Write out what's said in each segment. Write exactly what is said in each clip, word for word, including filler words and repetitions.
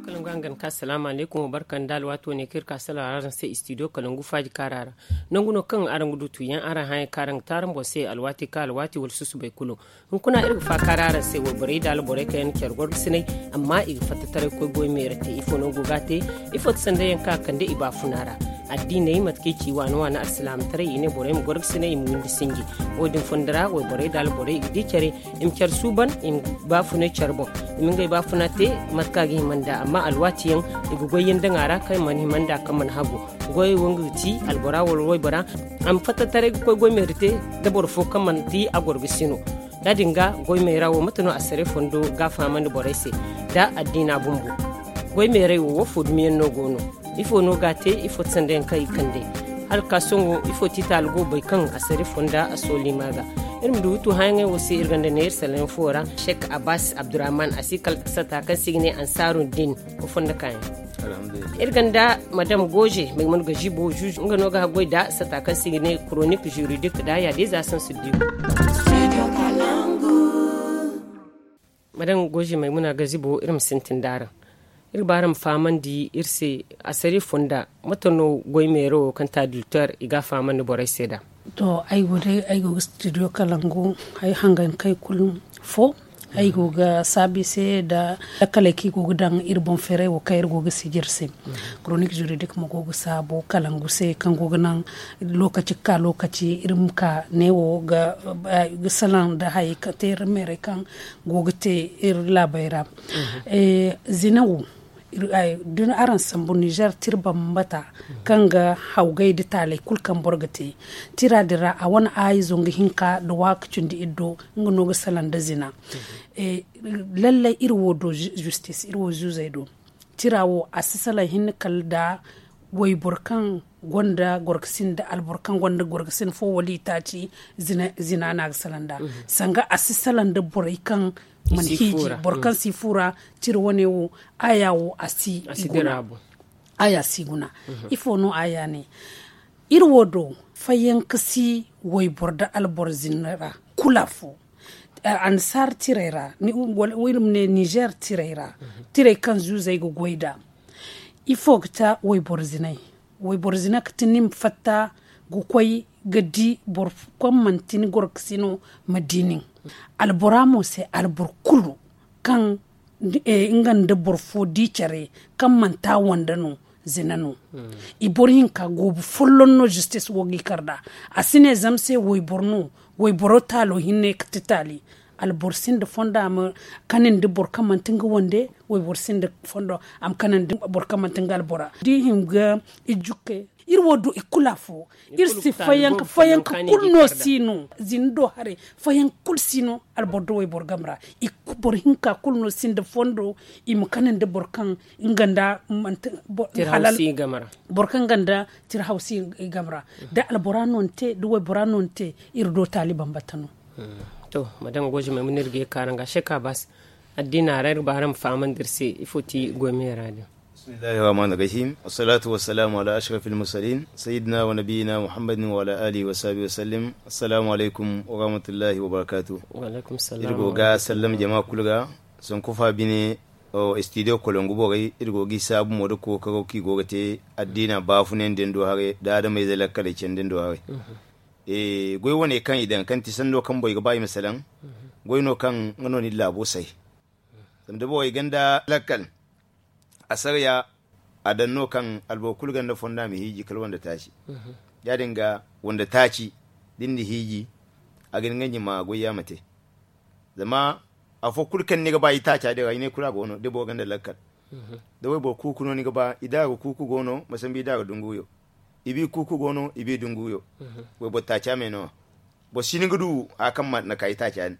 Kalangu hangan ka salaamu alaykum, barka nda alwaati wane kaŋ iri ka salaŋ araŋ se istidiyo kalangu faaji kaara ra. Nangu no kaŋ araŋ ga du tuuyaŋ araŋ hããyaŋ kaŋ araŋ ga te araŋ boŋ se alwaati ka alwaati wala susubay kulu. Hunkuna iri ga faakaara araŋ se wayborey nda alborey kaŋ yaŋ na care gorgasinay, amma i ga fatta taray ga koy goy meera te. Ifo no go ga a te? Ifo ti sanda yaŋ kaŋ a kande i baafuna ra? Addiiney mate kaŋ i ci waana waana alsilaamataray i ne borey ma gorgasinay i ma windi sinji. Wo- din fonda ra wayborey nda alborey i ga di care, i ma care suuban, i ma baafunay care boŋ, i ma ngey baafuna te mate kaŋ a ga hima nd'a. Amma alwaati yaŋ i ga goy yaŋ daŋ a ra kaŋ mana hima nd'a kaŋ mana hagu. Goyey wo nga ga ti albora wala waybora a ma fatta taray ga koy goy meera te, da boro fo kaŋ manti a gorgasino. Ya- din ga goy meera wo mate no assaray fondo ga a fahamandi borey se? Da addiina bumbo, goy meerey wo woofo dumiyaŋ no go no? Ifo no ga a te? Ifo ti sanda yaŋ kaŋ i kande? Hala ga ka sohõ ifo ti taali go bay kaŋ assaray fonda a sooli ma ga? Iri ma du hutu hããyaŋey wo se iri gonda neera salaŋ fo ra, sheek abbas abdurrahman a si kala sata kaŋ se i ga ne ansaaru din. Wo fonda kaayaŋ. Iri gonda madam gooze maymuna gazibo juuj nga no ga haggoy nda sata kaŋ se i ga ne koronik juridik nda yaadiza sansu diyo. Madam gooze maymuna gazibo iri ma sintin nd'araŋ. Iri ga ba araŋ ma fahamandi iri se assaray fonda, mate no goy meero wo kaŋ ti adulter i ga a fahamandi borey se nd'a? To, ay wo day ay go ga studio kalangu, ay hangan kay kulu fo. Ay go ga saabu i se nda lakkaley kaŋ i go ga daŋ iri boŋ feeray wo kaŋ iri go ga sijir se. Koronik juridik mo go ga saabu kalangu se kaŋ go ga naŋ lookaci ga ka lookaci iri ma ka neewo ga salaŋ nda hayey kaŋ te iri meerey kaŋ go ga te iri laabey ra. Zina wo, da araŋ sambu nizer tira bambata kaŋ ga hawgay nda taaley kulu kaŋ boro ga te tira din ra a wane aayi zangu hinka nda waaka cindi iri do. Nga no ga salaŋ nda zina. Lallay iri wo do, zistis iri wo zuuzey do. Tira wo a si salaŋ hinne kala nda wayboro kaŋ gonda gorgasin nda alboro kaŋ gonda gorgasin fo wala itaaci. Zina no a ga salaŋ nd'a. Sanga a si salaŋ nda borey kaŋ mana hiiji boro kaŋ si fu ra. Tira wane wo, aya wo a si i guna. Aya si guna. Ifo no aya ne? Iri wo do, fayyanka si wayboro nda alboro zina ra kulu afo. Annasaara tirey ra, iri ma ne nizer tirey ra, tirey kaŋ zuuzey ga goy nd'a. Ifo ga ta wayboro zinay? Wayboro zina ga ti ni ma fatta ga koy ga di boro kaŋ manti ni gorgasino ma di nin. Albora mo se alboro kulu kaŋ nga nda boro fo di care kaŋ manti a wande no, zina no. I boro hinka goobu folloŋ no zistis wo ga i kar nd'a. A si ne zama se wayboro no, wayboro taalo hinne ga ti taali. Alboro sinda fondo a ma kanandi boro kaŋ manti nga wande. Wayboro sinda fondo a ma kanandi boro kaŋ manti nga albora da i hin ga i jukke. Iri wo do i kulu afo. Iri si fayanka fayanka kulu no si no zina do haray. Fayanka kulu si no alboro da wayboro game ra. Boro hinka kulu no sinda fondo i ma kanandi boro kaŋ nga nda manti halal. Boro kaŋ nga nda tira haw si i game ra. Da albora no ni te da waybora no ni te iri do taali bambata no. To madama goy jumay ma no iri ga ye ga kaara nga shek abbas. Addiina ra iri ga ba araŋ ma fahamandi iri se ifo ti goy meera din. Bismillahi rahmani rahim. Wassalatu wassalamu ala ashrafil mursalin sayyidina wa nabiyina muhammadin wa ala alihi wa sahbihi wa sallim. Assalamu alaikum wa rahmatullahi wa barakatuh. Iri go ga sallama jama kulu ga. Sonkofa bine studio kolongu borey iri go ga i saabu mo da kookaro kaŋ i go ga te addiina baafunay nda ni do haray da adamayze lakkaley candi ni do haray. Goy wane kaŋ i daŋ kaŋ ti sanno kaŋ borey ga ba i ma salaŋ. Goy no kaŋ nga no ni laabo say. Zama da borey gonda lakkal asariya a daŋ no kaŋ alboro kulu gonda fondo a ma hiiji kala wande taaci. Ya- din ga wande taaci da ni na hiiji a ga hin nga ɲima goy yaŋ ma te. Zama afo kulu kaŋ ni ga ba itaaca din ra i ne kulu a go no da boro gonda lakkal. Da wayboro kuuku no ni ga ba i da ga kuuku go no ma sambu i da ga dunguyo. I bi kuuku go no i bi dunguyo. Wayboro taaca me no a boro si ni ga du haya kaŋ ma na ka itaaca din.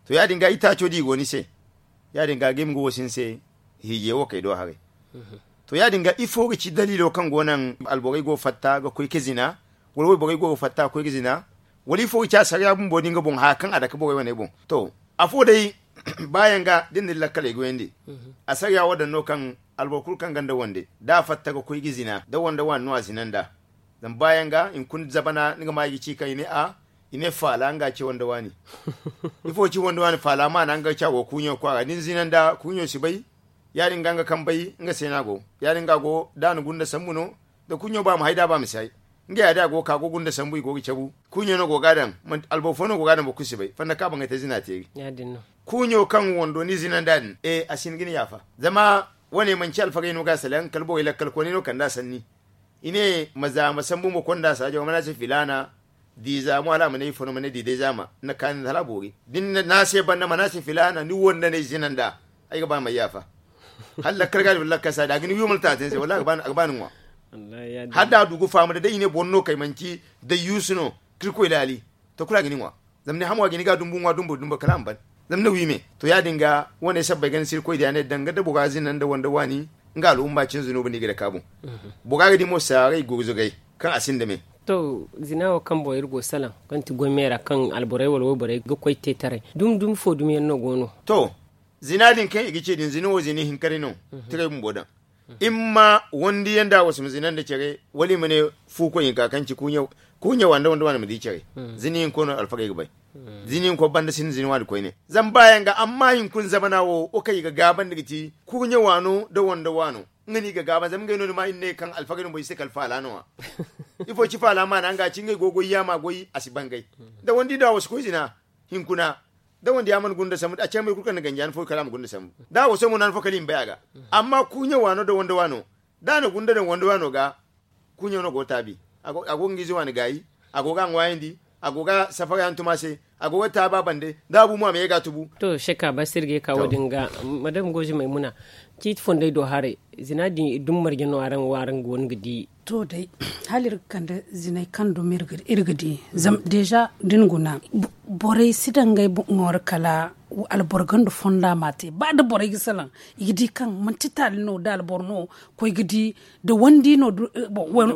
To ya- din ga itaaco da i go ni se ya- din ga a ga hima ga wasi ni se hiijay wo kay do haray. To ya- din ga ifo ga ci daliilo kaŋ go naŋ alborey go ga fatta ga koy ga zina wala wayborey go ga fatta ga koy ga zina? Wala ifo ga ci asariya bumbo da nga boŋ haya kaŋ a dake borey wane boŋ? To afo day baayaŋ ga da ni na ni lakkaley goyandi. Asariya wo daŋ no kaŋ alboro kulu kaŋ gonda wande da a fatta ga koy ga zina da wande waani no a zina nd'a. Zama baayaŋ ga hunkuna zabana ni ga ma i ga ci kaŋ i ne a I ne faala nga ce wanda waani. Ifo ci wanda waani faala maana nga ca go kuuɲo kwaara da ni zina nda kuuɲo si bay. Ya- din ga nga kaŋ bay nga se no a go. Ya- din ga a go da a na gunda sambu no. Da kuuɲo ba ma hay da a ba ma si hay. Nga ya- din a go ga ka go gunda sambu i go ga cabu. Kuuɲo no go ga a daŋ. Alboro fo no go ga a daŋ boro kulu si bay fanda kaŋ a ba nga te zina teeri. Kuuɲo kaŋ wando ni zina nda a din e a si hin ga ni yaafa. Zama wane manci alfagey no ga a salaŋ kala borey lakkal kooney no kand'a sanni. I ne ma za ma sambu ma konda saajo mana se filaana. Diiza mo hala a ma ne ifo no ma ne diiday zaama. Ni na kaani hala a boori da ni na a se banda mana se filaana ni wanda no ay zina nda. Ay ga ba ma yaafa. Hala lakkal ga a di wala lakkal si a di a ga ni wi wala taata ni se wala a ga ba ni ŋwa. Hala da a du ga faamu da day i ne boro no kay manci dayyuusu no ka irkoy laali. To kulu a ga ni ŋwa. Zama ni hamo a ga ni ga dumbu ŋwa dumbu dumbu kala a ma ban. Zama ni wi me. To ya- din ga wane sabbay ga ni si irkoy diya ne danga da bora zina nda wanda waani. Nga al'umma cin zunubu no i ga dake a boŋ. Bora ga di mo saaray gurzugay kaŋ a sinda me. To zina wo kaŋ boŋ iri go salaŋ kaŋ ti goy me ra kaŋ alborey wala wayborey ga koy te taray dumi dumi fo dumi yaŋ no go no? To zina din kaŋ i ga ce din zina wo zina ihinka day no. Tiray bumbo daŋ. Imma wandi yaŋ da a wasu ma zina nda care wala i ma ne fu koy hinka kaŋ ci kuuɲe wa nda wanda waani ma di care. Zina hinko no alfagey ga bay. Zina hinko banda sinda zina waani koyne zama ba yaŋ ga amma hinkuna zamana wo wo kaŋ i ga gaabandi ga ti kuuɲe waano nda wanda waano. Nga no i ga gaaba zama ngey no ni ma i na ne kaŋ alfagey no boŋ i si te kala faala no- ya. Ifo ci faala maana nga ci ngey go goy yaama goy a si bangay. Da wandi da a wasu koy zina hinkuna da wanda ya mana gunda sambu a ce may kulu kaŋ na ganji han fo kala a ma gunda sambu da a waso mo no han fo kala i ma bay a ga. Amma kuuɲe waano da wanda waano da a na gunda daŋ wanda waano ga. Kuuɲo no go ga taabi. A go ga nga ize waani gaayi. A go ga a ŋwaayandi. A go ga safara yaŋ tuma se. A go ga taabi a bande da a bu mo a ma ye ga a tubu. To sheka ba sirge ka wo- din ga madam goji maymuna. Ciiti fondey do haray zina din dumi marje no araŋ wo araŋ go no ga di. To day hala iri ga kande ziney kaŋ dumi iri ga di zama deeza da ni guna borey si daŋ ngey boŋ ra kala alboro ganda fonda ma a te ba da borey ga salaŋ i ga di kaŋ manti taali no da alboro no koy ga di da wandi no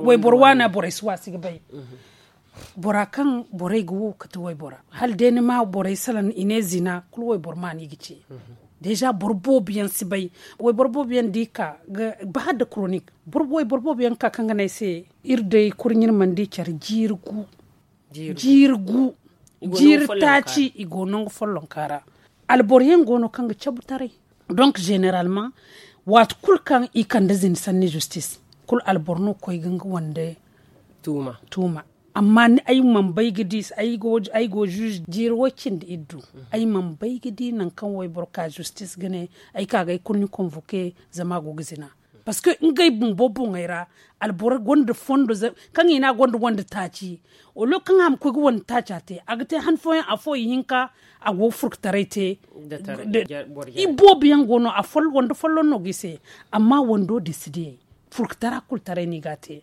wayboro waana borey si waasi ga bay. Bora kaŋ borey ga wo kate waybora hala day ni ma borey salaŋ i ne zina kulu wayboro ma no i ga ce. Deeza boro boobo yaŋ si bay. Wayboro boobo yaŋ da i ka ba hala da koronik wayboro boobo yaŋ ga ka kaŋ ga ne ay se iri day kurɲe iri mana di care jiiri gu. Jiiri gu jiiri taaci i go nangu follonka ra. Alboro yaŋ go no kaŋ ga cabu taray. Donk zeneralman waati kulu kaŋ i kande zina sanni zistis kulu alboro no ga koy ga nga wande tuuma. Amma ni ay mana bay ga di ay go zuuzu jiiri way cindi iddu ay mana bay ga di nangu kaŋ wayboro ka zistis ga ne ay ka ga ay kulu ni konvoke. Zama a go ga zina parceque ngey bumbo boŋey ra alboro gonda fondo kaŋ i ne a gonda wande taaci. Wala kaŋ a ma koy ga wande taaca te a ga te han fooyaŋ afo ihinka a go ga furkataray te. Iboobo yaŋ go no wande folloŋ no ga i se. Amma wando din si diyay furkatara kulu taray no i ga a te.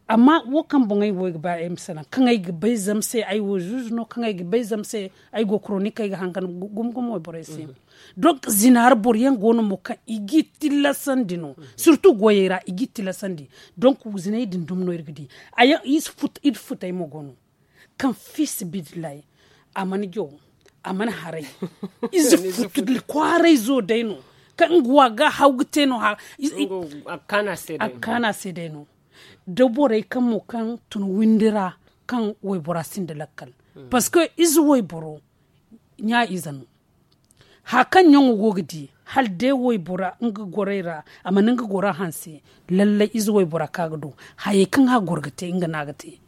Amma wo kaŋ boŋ ay wo ay ga ba ay ma salaŋ kaŋ ay ga bay zama se ay wo zuuzu no kaŋ ay ga bay zama se ay go koronikey ga hangan gumo gumo wayborey se. Donk zina ra boro yaŋ go no mo kaŋ i g'i tillasandi no. Sirtu goyey ra i g'i tillasandi. Donk ziney din dumi no iri ga di. Iri futey mo go no kaŋ fiisabilillahi a mana jaw a mana haray. Ize futu kwaaray zo day no kaŋ nga wa ga haw ga te no. A ga kaanu a se day no da borey kaŋ mo kaŋ tun windi ra kaŋ waybora sinda lakkal. Parceque ize wayboro ɲa ize no. Hari kaŋ ɲaŋo go ga di hala day waybora nga gorey ra a mana nga gora hanse. Lallay ize waybora kaŋ a ga du hayey kaŋ a goro ga te nga no a ga te.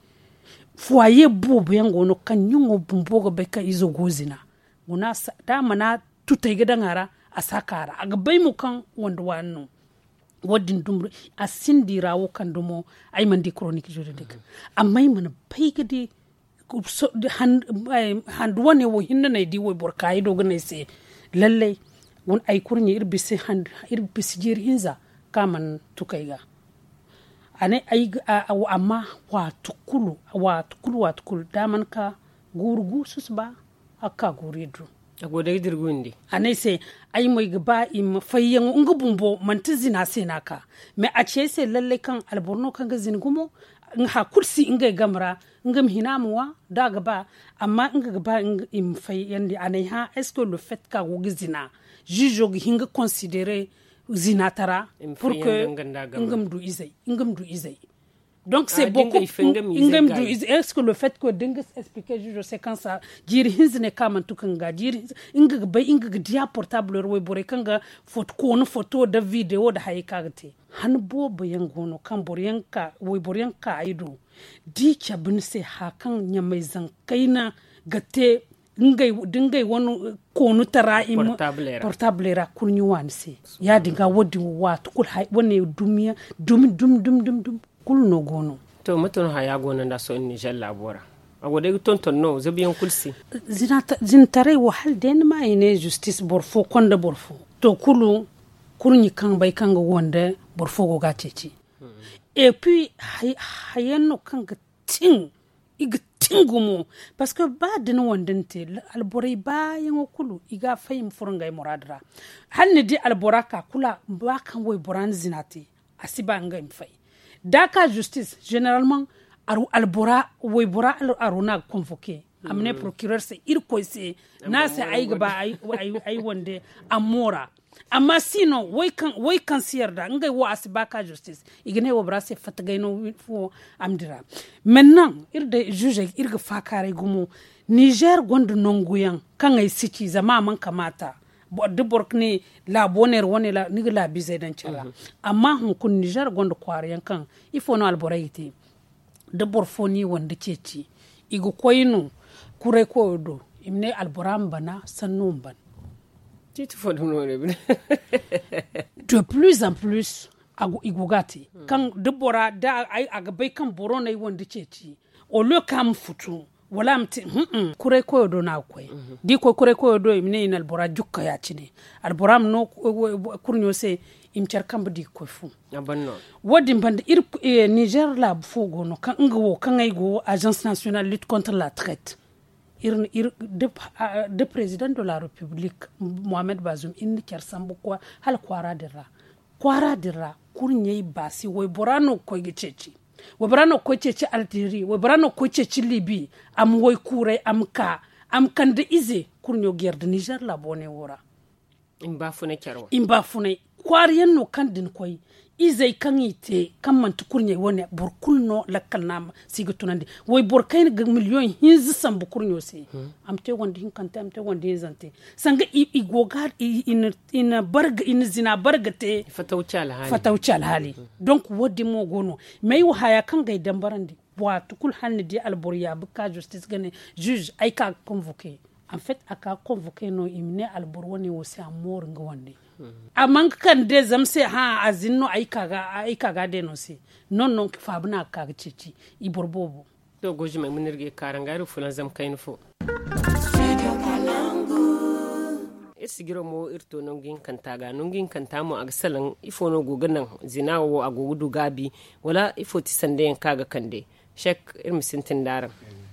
Fuwaye boobo yaŋ go no kaŋ ɲaŋo bumbo ga bay kaŋ izo go zina. Guna da a mana tutey ga daŋ a ra a si a ka ra a ga bay mo kaŋ wande waani no. Wo- din dumi a sinda i ra wo kaŋ dumo ay mana di koronik juridik. Amma ay mana bay ga di handu wane wo hinne no ay di wayboro kaayey do ga ne ay se. Lallay ay kurɲe iri bisa jiiri hinza kaŋ a mana tuku ay ga. A ne ay ga amma waati kulu waati kulu waati kulu da a mana ka guuru gu susuba. A ga ka guuru iri du. A ne ay se ay mo ay ga ba i ma fayyaŋo nga bumbo manti zina se no a ka. Mais a ci ay se lallay kaŋ alboro no kaŋ ga zina gumo. Hari kulu si ngey game ra nga ma hina a ma ŋwa da a ga ba. Amma nga ga ba i ma fayyandi a ne ay hã est ce que le fait kaŋ a go ga zina ziizo ga hin ga considere zina tara pour que nga ma du izey nga ma du izey. Donc c'est beaucoup. Nga ma du est ce que le fait que da nga expliquer juge se kan sa jiiri hinza ne ka mantu kan ga jiiri hinza nga ga bay nga ga diya portable ra wayborey kan ga foto koonu foto da video da hayey ka ga te. Han boobo yaŋ go no kaŋ boro yaŋ ka wayboro yaŋ ka ay do da i cabe ni se haya kaŋ ɲamay zankayna ga te da ngey wane koonu tara portable ra kurɲi waani se. Ya- din ga wo- din waati kulu wane dumi dumi dumi dumi kulu no go no. To mate no haya go no nda sohõ nizer laabo ra? A go day ga tonton no zabiyaŋ kulu se. Zina taray wo hala day ni ma i ne justice boro fo konda boro fo to kulu kurɲi kaŋ bay kaŋ ga wande boro fo go ga a ceeci. Et puis hayaŋ no kaŋ ga tin i ga tin gumo. Parce que ba da ni wande ni te alborey baayaŋo kulu i ga a fay i ma furo ngey muraadu ra. Hala ni di albora ka kulu ba kaŋ waybora na zina te a si ba ngey ma fay. Da a ka justice generalman albora waybora aro no a ga convoquer a ma ne procureur se irkoy se no a se ay ga ba ay wande a ma moora. Amma si no way kaŋ si yarda ngey wo a si ba ka justice i ga ne waybora se fatta gay no. Fuwo a ma dira. Mennan iri day juge iri ga faakaaray gumo. Nizer gonda nangu yaŋ kaŋ ay si ci zama a mana kamaata da boro ga ne laabo neera wane ni ga laabiizey daŋ care ra. Amma hunkuna nizer gonda kwaara yaŋ kaŋ ifo no alborey ga te da boro fo no i wande ceeci i ga koy no kuray koyo do i ma ne albora ma bana sanno ma ban. Ciiti fo dumi no ne bine. De plus en plus i go ga a te kaŋ da bora da a ga bay kaŋ boro no ay wande ceeci au lieu kaŋ a ma futu wala a ma te. Kuray koyo do no a ga koy da i koy kuray koyo do i ma ne i na albora jukka ya- cine albora ma no kurɲo se i ma care kambe da i ga koy fu. Wo- din banda iri nizer laabu fo go no kaŋ nga wo kaŋ ay go agence national lutte contre la traite. Iri da president de la republique mohammed bazum iri na care sambu hala kwaara din ra kwaara din ra kurɲey baasi waybora no ga koy ga ceeci. Waybora no ga koy ceeci algerie waybora no ga koy ceeci libi a ma waykuuray a ma ka a ma kande ize kurɲo ga yarda nizer laabo ne wo ra. I ma baafunay kwaara yaŋ no kaŋ da ni koy izey kaŋ i te kaŋ manti kurɲey wane boro kulu no lakkal no a ma si ga tunandi. Wayboro kayna ga miliyoŋ hinza sambu kurɲo se a ma te wande hinkante a ma te wande hinzante sanga i go ga i na zina barga te fatawci alhaali. Donk wo- din mo go no mais ay wo haya kaŋ ga ay dambarandi waati kulu hala ni di alboro yaabi ga ka justice ga ne juge ay ka ga convoquer. En fait a ka ga convoquer no i ma ne alboro wane wo se a ma mooru nga wande. A mana ga kande zama se hã a zina no ay ka ga a day no se. Non non faabu no a ga ka ga ceeci i boro boobo. To goy zumey ma no iri ga ye ga kaarangu iri ga fulaŋ zama kayna fo. Iri sijiro mo iri to nangu hinkanta ga nangu hinkanta mo a ga salaŋ ifo no go ga naŋ zina wo a go ga du gaabi? Wala ifo ti sanda yaŋ kaŋ a ga kande? Sek iri ma sintin da araŋ.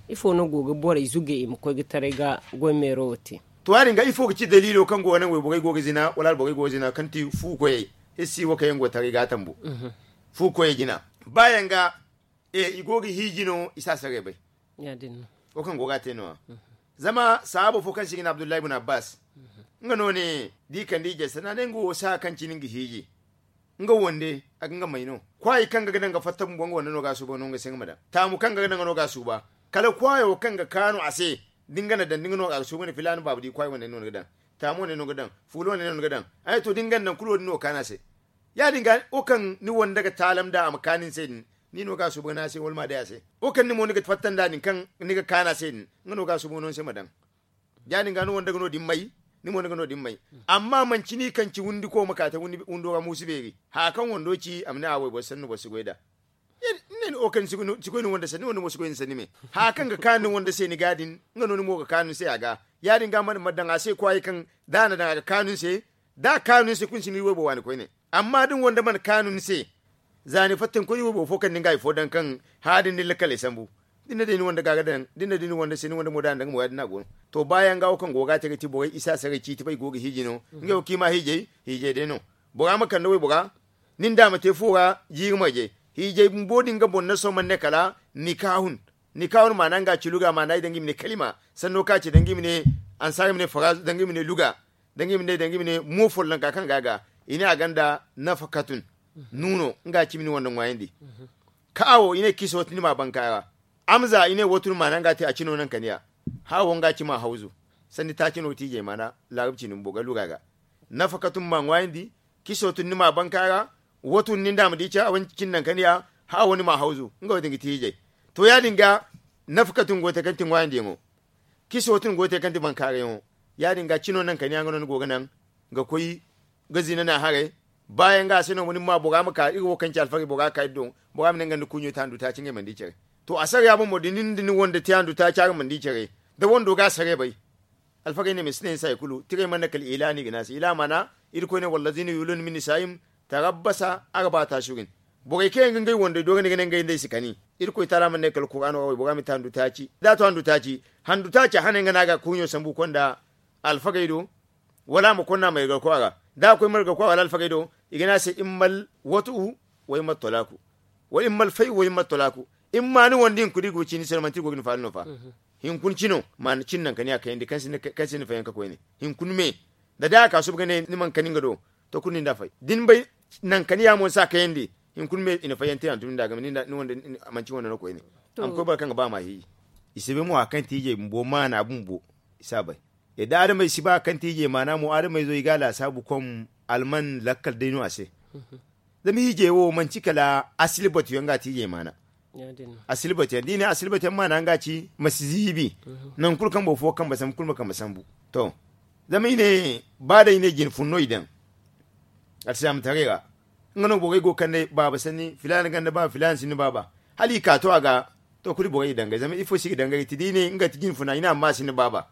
Ifo no go ga borey zuge i ma koy ga taray ga goy meero wo te? To ya- din ga ifo ga ci daliilo kaŋ go ga naŋ wayborey go ga zina wala alborey go ga zina kaŋ ti fu koyey? Iri si wo kaŋ yaŋ go ga taray ga a tambu fu koyey jina ba yaŋ ga i go ga hiiji no i si a saray bay. Wo kaŋ go ga a te no- ya zama sahaabo fo kaŋ se i ga ne abdullahi bun abbas nga no ne da i kande i jay sanda ne nga wo si haya kaŋ cine nga hiiji. Nga wande a ga nga may no kwaayi kaŋ ga ga daŋ ga fatta bumbo nga wande no ga a suuba no nga se nga ma daŋ taamu kaŋ ga ga daŋ no ga a suuba. Kala kwaayo kaŋ ga kaanu a se da nga na daŋ da nga no a ga suuba ne filaana baaba di kwaayi wande no ni ga daŋ taamu wande no ni ga daŋ fuula wande no ni ga daŋ. Ay to da nga na daŋ kulu wo- din no ga kaanu a se. Ya- din ga wo kaŋ ni wande ga taalam nd'a a ma kaanu ni se din ni no ga a suuba ga naŋ a se wala ma a day a se. Wo kaŋ ni mo ni ga fatta nd'a din kaŋ ni ga kaanu a se din nga no ga a suuba ga no ni se ma daŋ. Ya- din ga ni wande ga no- din may ni mo ni ga no- din may. Amma manci ni kaŋ ci wundiko ma ka te wundo ra muusu beeri haya kaŋ wando ci a ma ne a wayboro sanni boro si goy nd'a. Ni ne ni wo kaŋ ni si goy ni wande sanni wande mo si goy ni sanni me. Haya kaŋ ga kaanu ni wande se ni ga din nga no ni mo ga kaanu ni se a ga. Ya- din ga mana ma daŋ a se kwaayi kaŋ da a na daŋ a ga kaanu ni se. Da a kaanu ni se kulu ni si ni waybo waani koyne. Amma da ni wande mana kaanu ni se za ni fatta ni koy ni waybo fo kaŋ ni nga hari fo daŋ kaŋ haya din ni lakkaley sambu. Da ni na day ni wande ga ga daŋ da ni na day ni wande se ni wande mo da a na daŋ mo ya- din no a go no. To ba yaŋ ga wo kaŋ go ga a te ga ti borey isa saray ciiti bay go ga hiiji no. Ngey wo kaŋ i ma hiijay hiijay day no. Bora ma kande waybora ni nda a ma te fu ra jiiri marje. Hiijay bumbo din ga boro naso mana ne kala nikahun. Nikahun maana nga ci luga maana i daŋ ga i ma ne kalima sanno kaŋ a ci daŋ ga i ma ne ansaara i ma ne faraazu daŋ ga i ma ne luga daŋ ga i ma ne daŋ ga i ma ne mo follonka kaŋ ga a ga i ne a gonda nafakatun. Nuuno nga ci ma ni wande ŋwaayandi. Kaawo i ne kiso tun ni ma banka ra. Amza i ne wotun maana nga te a cino nankaniya. Haawo nga ci ma hawzu. Sanni taaci no tiijey maana laarab cini bumbo ga lura ga. Nafakatun ma ŋwaayandi. Kiso tun ni ma banka ra. Wotun ni nda a ma di ca wani cini nankaniya. Haawo ni ma hawzu nga wo din ga tiijey. To ya- din ga nafakatun go te kaŋ ti ŋwaayandiyaŋo. Kiso tun go te kaŋ ti bankaarayaŋo. Ya- din ga cino nankaniya nga no ni go ga naŋ ga koy ga zina na haray. Baayaŋ ga a se no ma ni ma bora ma ka iri wo kaŋ ci alfagey bora ga ka iri do. Bora ma ne nga nda kuuɲo te handu taaci ngey mana di care. To a sara ya bumbo da nin da ni wande te handu taaci araŋ mana di care. Da wando ga a sara ya bay. Alfagey ne ma si ne ni se hari kulu tiray mana ne kala ila no i ga ne a se ila maana. Irkoy ne wallazina yuuluna min nisaayihim tarabbasa arbaata ashurin. Borey kaŋ yaŋ ga ngey wandey doori ni ga ne ngey nd'ey si kani. Irkoy taala mana ne kala kuraano ra waybora ma te handu taaci da a to handu taaci. Handu taaci a hane nga no a ga kuuɲo sambu konda alfagey do. Wala a ma konda margarko a ra da a koy margarko a ra wala alfagey do. I ga ne a se immal watu'u wa immal talaaku. Wala immal fay'u wa immal talaaku. Imma ni wandi hinkuna i go ga ci ni se no manti i go ga ni faala no fa. Hinkuna cino ma ni cin nankaniya kayandi kaŋ sinda fayanka koyne. Hinkuna me da day a ka suba ga ne ni mana kani nga do. To kulu nin da a fay da ni bay nankaniya mo ni si a kayandi. Hinkuna me i na fayyante hantum ni da a game ni wande manci wande no koyne. A ma koy boro kaŋ ga ba ma hiiji. I si bay mo hari kaŋ tiijey bumbo maana bumbo. I si a bay. Yadda adamey si ba kaŋ tiijey maana mo adamey zo i ga a laasaabu kom alman lakkal day no a se. Zama hiijey wo manci kala asili batu yaŋ ga a tiijey maana. Asili batu yaŋ da i ne asili batu yaŋ maana nga ci ma si ziibi. Nangu kulu kaŋ boro fo kambe sambu kulu ma kambe sambu. To zama i ne ba day i ne jine fun no i daŋ. Alsilaamataray ra nga no borey go ga kande baaba sanni filaana ganda baaba filaana sinda baaba. Hala i ka to a ga to kulu borey i dangay zama ifo se i ga dangay ti da i ne nga ti jine funa i ne amma a sinda baaba.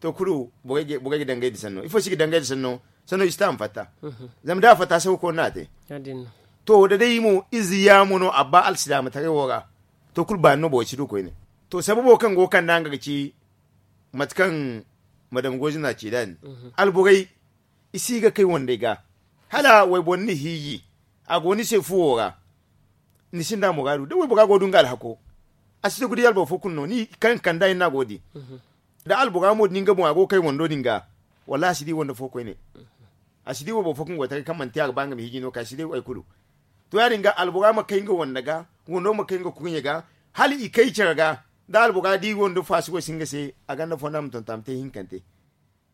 To kulu borey ga dangay nda sanno ifo se i ga dangay nda sanno. Sanno i si ta a ma fatta. Zama da a fatta se huko no a te. To da day mo ize yaamo no a ba alsilaamataray wo ra. To kulu baani no borey si du koyne. To sababo kaŋ go ga kande a nga ga ci mate kaŋ madam goozina ci da ni alborey i si ga kay wandey ga. Hala wayboro ni na hiiji a go ni se fuwo ra. Ni sinda muraadu da waybora go ga du nga alhako. A si du ga di alboro fo kulu no ni kaŋ kanda iri no a go ga di. Da albora mo din ga boŋ a go ga kay wando din ga. Wallahi a si di wando fo koyne. A si di wayboro fo kaŋ go ga taray kaŋ manti a ga ba nga ma hiiji no kay a si di hari kulu. To ya- din ga albora ma kay nga wando ga wando ma kay nga kurɲe ga. Hala i kay care ga da albora di wando faasi go si nga se a ganda fonda ma tonton a ma te hinkante.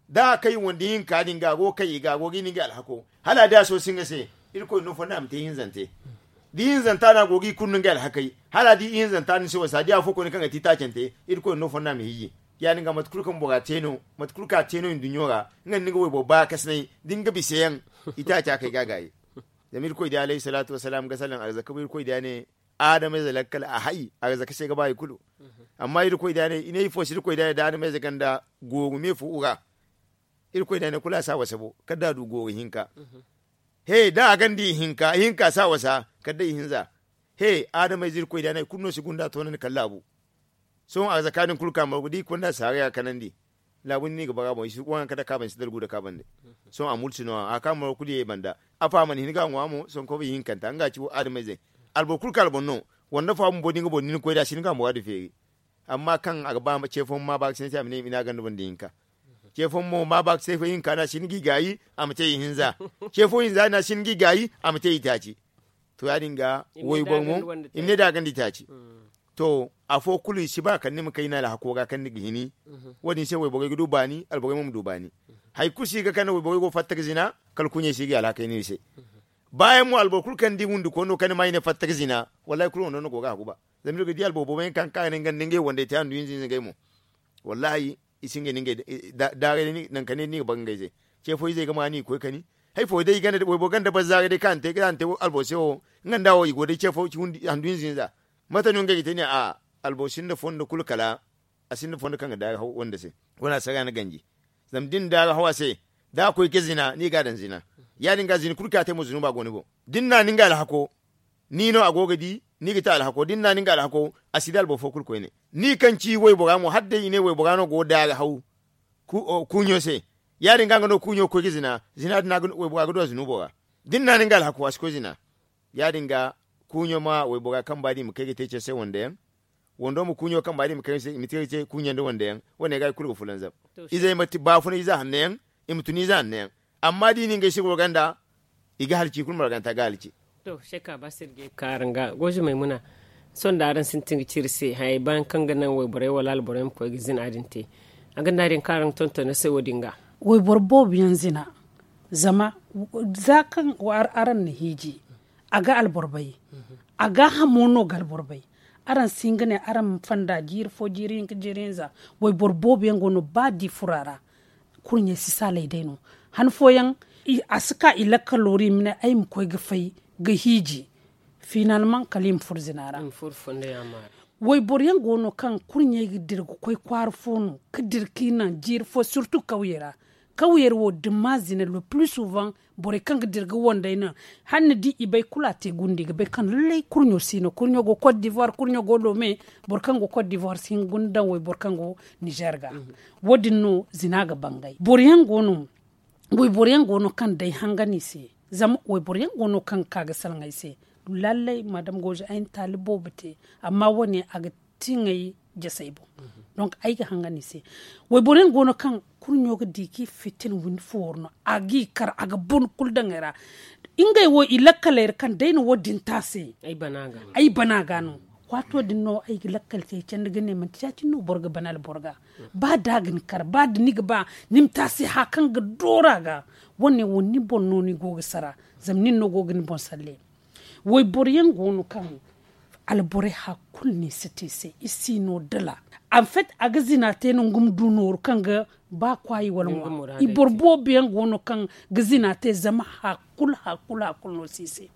Da a kay wandi hinka din ga a go ga kay i ga a go ga i na ngey alhako. Hala a di a soosi nga se irkoy no fonda a ma te ihinzante. Da ihinzanta no a go ga i kulu no ngey alhakey hala a di ihinzanta no ni se wasa da afo koyne kaŋ ga te i taacante. Irkoy no fonda a ma hiiji. Ya- din ga mate kulu kaŋ bora te no mate kulu kaŋ a te no nduɲɲo ra. Nga nda ni ga wayboro baakasinay da ni ga bisa yaŋ i taaca kay ga a gaayi. Zama irkoy di alayhi salaatu wassalaam ga salaŋ arzaka bo irkoy di a ne adamayze lakkal a hay arzaka se ga ba hari kulu. Amma irkoy da ne i ne ifo se irkoy da ne da adamayze ganda gooru me fo ra. Irkoy da ne kulu a si a wasa bo kala da a du gooru hinka. He da a ganda ihinka ihinka si a wasa kala da ihinza. He adamayze irkoy da ne hari kulu no si gunda toonandi kala laabu. Sohõ arzaka din kulu ka margu da i konda saara ya kanandi. Laabu ni no i ga bara boŋ i si waŋ kaŋ da kaabandi si dalgu da kaabandi. Sohõ a multi no a ka margu kulu ye i banda. Afa a mana hin ga a ŋwa mo sohõ koy ihinkanta nga ci adamayzey. Alboro kulu kaŋ alboro no wanda fo a bumbo da nga boro nin koy da a si hin ga a muraadu feeri. Amma kaŋ a ga ba ce fooyaŋ ma baakasinay se a ma ne i ma ne a ganda banda ihinka. Ce fooyaŋ mo ma baakasinay fo ihinka no a si hin ga i gaayi a ma te ihinza. Ce fo hinza no a si hin ga i gaayi a ma te itaaci. To ya- din ga wayboro mo i ma ne da a ganda itaaci. To afo kulu i si ba kala ni ma kay ni alhako ga kaŋ ni ga hini. Wo- din se wayborey ga du baani alborey mo ma du baani. Hari kulu si ga kande wayborey go fatta ga zina. Kala kuuɲey si ga i alhakey no i se. Baayaŋ mo alboro kulu kaŋ ni di wundikooni no kaŋ ni ma i ne fatta ga zina. Wallahi kulu wando no go ga a guba. Zama iri ga di alboro boobo yaŋ kaŋ ka ga ne nga nda ngey wandey te handu hinza hinza ngey mo. Wallahi i si ngey nda ngey daarey day nangu kaŋ ne ni ga ba ga ngey ze. Ce fo izey ga ma ni ga koy kani. Hari fo day i ganda wayboro ganda barzaaray day kaŋ a na te alboro se wo. Nga nda wo i go day ce fo handu hinza hinza. Mate no ngey ga te ne a alboro sinda fondo kulu kala a sinda fondo kaŋ ga daari haw wanda se. Wala a si ga ni ganji. Zama da ni daari haw a se da a koy ga zina ni ga a daŋ zina. Ya- din ga zina kulu kaŋ a te mo zunuba go ni boŋ. Da ni na ni nga alhako ni no a go ga di ni ga te alhako da ni na ni nga alhako. A si di alboro fo kulu koyne ni kaŋ ci waybora mo hala day i ne waybora no go ga daari haw. Kuuɲo se ya- din ga nga no kuuɲo ga koy ga zina zina din waybora ga du a zunubo ra. Da ni na ni nga alhako a si koy zina. Ya- din ga kuuɲo ma waybora kamba da i ma kay ga te care se wande yaŋ. Wando ma kuuɲo kamba da i ma kay ga te kuuɲo nda wande yaŋ. Wane ga i kulu ga fulanzam. Izey ma ti baafuna ize hanno yaŋ. I ma tun ize hanno yaŋ. Amma da i na ngey se goro ganda i ga halci i kulu marganta ga halci. To shekka ba sirge kaara nga gozo maymuna. Sohõ da araŋ sintin ga ci iri se hayey bayaŋ kaŋ ga naŋ wayborey wala alborey ma koy ga zina din te, a ga naŋ din kaŋ araŋ ga tonton iri se wo- din ga. Wayboro boobo yaŋ zina. Zama za kaŋ araŋ na hiiji, a ga alboro bay. A ga hamo no ga alboro bay. Araŋ si hin ga ne araŋ ma fanda jiiri fo jiiri hinka jiiri hinza. Wayboro boobo yaŋ go no ba di furo a ra. Kurɲey si saalay day no. Han fooyaŋ a si ka i lakkalo ra i ma ne ay ma koy ga fay ga hiiji. Finalman kala i ma furo zina ra. Wayboro yaŋ go no kaŋ kurɲey ga dira ga koy kwaara fo no ga dira ga i naŋ jiiri fo sirtu kawyey ra. Kawyey ra wo da ni ma zina le plus souvent borey kaŋ ga dira ga wandey no. Hala ni di i bay kulu a te gunde i ga bay kaŋ lallay kurɲo si no kurɲo go kot divoire kurɲo go lome. Boro kaŋ go kot divoire si hin ga guna daŋ wayboro kaŋ go nizer ga. Wo- din no zina ga bangay boro yaŋ go no. Wayboro yaŋ go no kaŋ day hangani se. Zama wayboro yaŋ go no kaŋ ga ka ga salaŋ ay se. Lallay madam gozo ay na taali boobo te. Amma wo- ne a ga tiŋay jasey boŋ. Donk ay ga hangan i se. Wayboro yaŋ go no kaŋ kurɲo ga di ga i fitin windi fo wara no a ga i kar a ga bun kulu daŋ ay ra. Ngey wo i lakkaley ra kaŋ day na wo- din te a se. Ay bana ga no. Waato din no ay ga lakkal te ay candi ga ne manti ya- cine no boro ga bana alboro ga. Ba da a ga ni kar ba da ni ga ba ni ma te a se haya kaŋ ga dooru a ga. Wo- ne wo ni boŋ no ni go ga sara. Zama nin no go ga ni boŋ salle. Wayboro yaŋ go no kaŋ alborey haya kulu no i si te i se i si no dala. Anfet a ga zina te no nga ma du nooru kaŋ ga ba kwaayi wala ŋwa. I boro boobo yaŋ go no kaŋ ga zina te zama haya kulu haya kulu haya kulu no si i se.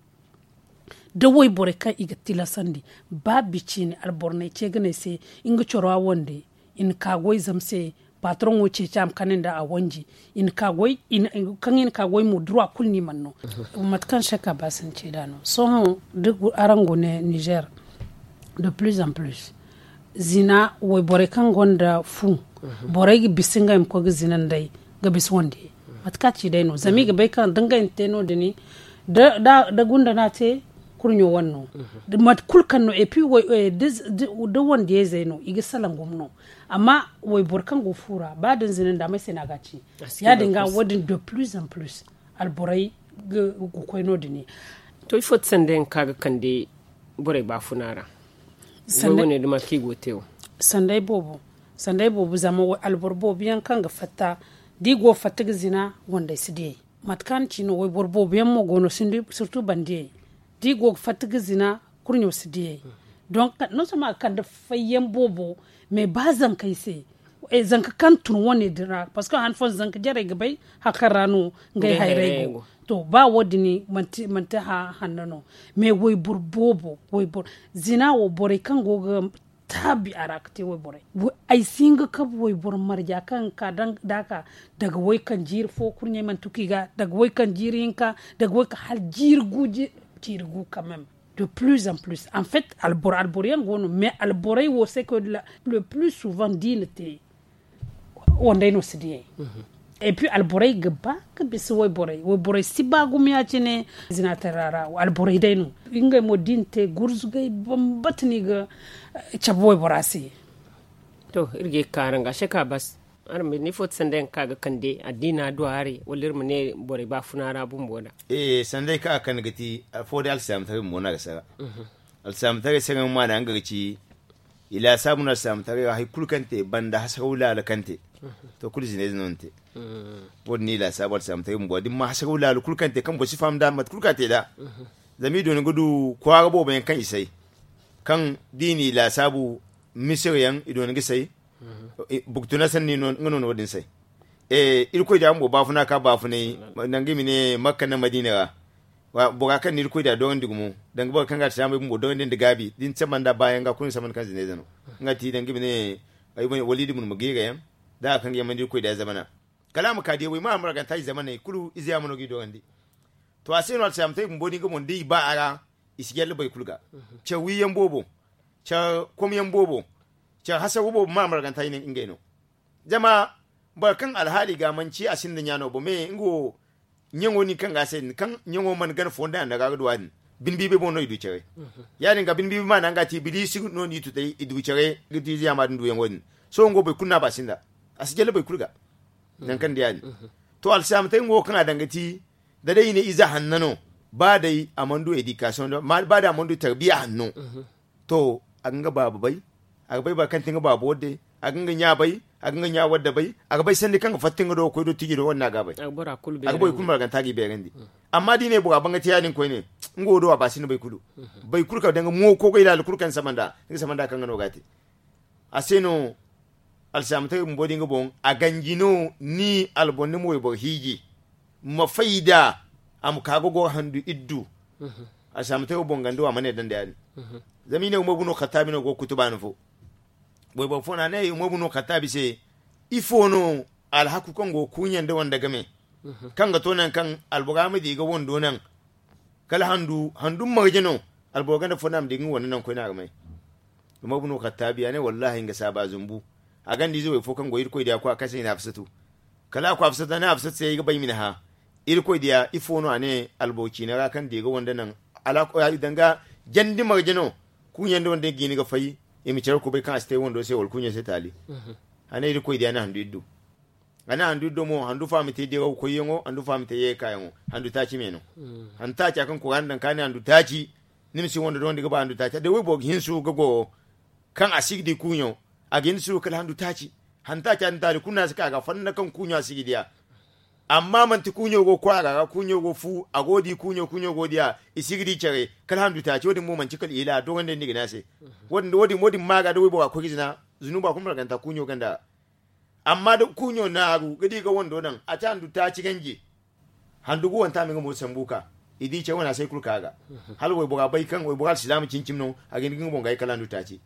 Da wayborey kaŋ i ga tilasandi ba bi ciine alboro no ay ce ga ne ay se nga coro a wande. I na ka goy zama se. Patroŋo ceeci a ma kande nda a wanji. I na ka goy kaŋ i na ka goy mo dura kulu no i mana no. Mate kaŋ seka ba si ni ce nd'a no sohõ da araŋ go ne nizer de plus en plus zina wayborey kaŋ gonda fu borey ga bisa ngey ma koy ga zina nd'ey ga bisa wande. Mate kaŋ a ci day no zama i ga bay kaŋ da ngey na te no- din da gunda no a te kurɲo wane no. Mate kulu kaŋ no et puis da wandiyayzey no i ga salaŋ gumo no. Amma wayboro kaŋ go fu ra ba da ni zina nda may se no a ga a ci. Ya- din ga wo- din de plus en plus alborey ga koy no- din. To ifo ti sanda yaŋ kaŋ a ga kande borey baafuna ra? Sanday boobo zama alboro boobo yaŋ kaŋ ga fatta da i go ga fatta ga zina wandey si diyey. Mate kaŋ a na ci no wayboro boobo yaŋ mo go no sirtu bandiyey da i go ga fatta ga zina kurɲo si diyey. Donk non seulement a ga kande fayyaŋ boobo mais ba zankey se zanka kaŋ tun wane din ra parceque han fooyaŋ zanka jarey ga bay hari kaŋ ra no ngey hayrey go. To ba wo- din manti hanno no mais wayboro boobo zina wo borey kaŋ go ga taabi a ra ga te wayborey. Ay si hin ga kabu wayboro marja kaŋ ga ka da a ka daga way kaŋ jiiri fo kurɲey mana tuku i ga daga way kaŋ jiiri hinka daga way kaŋ hala jiiri gu jiiri gu quand même. De plus en plus en fait alboro alboro yaŋ go no mais alborey wo se koy le plus souvent da i na te wandey no si diyey. Et puis alborey ga ba ga bisa wayborey wayborey si ba gumo ya- cine. Zina tara ra alborey day no ngey mo da i na te gurzugay bambata no i ga cabe waybora se. To iri ga ye ga ka araŋ ga a se ka bas. Araŋ ma ne ifo ti sanda yaŋ kaŋ a ga kande addiina du haray wala iri ma ne borey baafuna ra bumbo da? Sanday kaŋ a ga kande ga ti afo day alsilaamataray bumbo no a ga sara. Alsilaamataray sara yaŋ maana nga ga ci i laasaabu no alsilaamataray ra hari kulu kaŋ te banda hasaraw laala kaŋ te. To kulu zinayze no ni te. Wo- din no i laasaabu alsilaamataray bumbo da ni ma hasaraw laala kulu kaŋ te kaŋ boro si faham nd'a mate kulu kaŋ a te nd'a. Zama i doona ga du kwaara boobo yaŋ kaŋ i say kaŋ da i n'i laasaabu misira yaŋ i doona ga say. Burkina sanni nga no na wo- din say. Irkoy da bumbo baafuna ka baafunay danga i ma ne makka nda madiina ra. Bora kaŋ na irkoy da dorandi gumo danga boro kaŋ ga alsilaamey bumbo dorandi nda gaabi da ni samba nd'a baayaŋ ga kulu ni samba nda kaŋ zinayze no. Nga ti danga i ma ne waliidi bun ma geera yaŋ da hari kaŋ ga yaŋ mandi irkoy da zamana. Kala a ma ka diyawey ma a marganta i zamaney kulu ize yaŋ ma no ga i dorandi. To a se no alsilaamataray bumbo din ga boŋ da i ba a ra i si jalle boro kulu ga. Caw wiyaŋ boobo caw komyaŋ boobo caw hasagu boobo ma a marganta i ne ngey no. Zama boro kaŋ alhaali ga manci a sinda ɲaano bo me nga wo ɲaŋo nin kaŋ ga a se din kaŋ ɲaŋo mana gana fo nda a naga ga du a din. Bine biibay boŋ no i du care. Ya- din ga bine biibay maana nga ti ibiliisi no n'i tutay i du care ga di ziyama din duyaŋo din. Sohõ nga wo boro kulu no a ba sinda a si jalle boro kulu ga. Nangu kaŋ di ya- din to alsilaamataray nga wo kaŋ a daŋ ga ti da day i ne ize hanno no ba day a mana du edikasiyoŋ ba day a mana du tarbiya hanno. To, a ga nga baaba bay, a ga bay boro kaŋ ti nga baaba wadde, a ga nga ɲa bay, a ga nga ɲa wadde bay. A ga bay sanni kaŋ ga fatta nga do ga koy do tiiji do wadde no a ga a bay. A ga boro kulu beerandi. Amma da i ne bora bangate ya- din koyne, nga wo do a ba sinda bay kulu. Bay kulu kaŋ danga mo koogay laala kulu kaŋ ni sama nd'a, ni ga sama nd'a kaŋ nga no ga a te. A se no alsilaamataray bumbo din ga boŋ, a ganji no ni alboŋ ni ma wayboro hiiji, ma fayda a ma ka ga goro handu iddu. Alsilaamataray wo boŋ ganda wo a mana yadda nda ya- din. Zama i ne umar bun alkhattabi no go ga kutuba no fo. Wayboro fo no a ne umar bun alkhattabi se, ifo no alhaku kaŋ go ga kuuɲa nda wande game, kaŋ ga to nangu kaŋ albora ma di ga wando naŋ, kala handu handu marje no. Alboro ganda fo no a ma di ga nga wando naŋ koyne a ga may. Umar bun alkhattabi a ne wallahi nga saaba zumbu. A ganda ize way fo kaŋ go irkoy diya koy a kase i na hafsatu. Kala a koy hafsatu a ne hafsatu se ay ga bay ma ni hã, irkoy diya ifo no a ne alboro ciina ra kaŋ di ga wande naŋ? Danga jandi marje no. Kuuɲa nda wande ga i ni ga fay, i ma care kubay kaŋ a si te wando se wala kuuɲo se taali. A ne irkoy diya na handu iddu. A ne handu iddo mo handu fo a ma te diraw koyyaŋo, handu fo a ma te ye kaayaŋo. Handu taaci me no. Handu taaca kaŋ kuraana daŋ ka ne handu taaci. Ni ma si wando doŋandi ga ba handu taaca day wayboro ga hinsu ga goro, kaŋ a si ga di kuuɲo, a ga hin suuru kala handu taaci. Handu taaca din taali kulu no a si ka ga fanda kaŋ kuuɲo a si ga di a. Amma manti kuuɲo go ga kwaara ga kuuɲo go ga fu, a go ga di kuuɲo kuuɲo go ga di a, i si ga di care. Kala handu taaci wo- din mo manti kala ila a doŋandi ni ga ne a se. Wo- din ma ga da waybora koy ga zina, zunuba kulu marganta kuuɲo ganda ra. Amma da kuuɲo naaru ga di ga wando naŋ a te handu taaci ganji. Handu ga wanta a ma nga mo sambu ka i di ce wane a se kulu ka ga. Hala waybora bay kaŋ waybora alsilaama cimi cimi no. A ga hin ga nga boŋ ga ay kala handu taaci.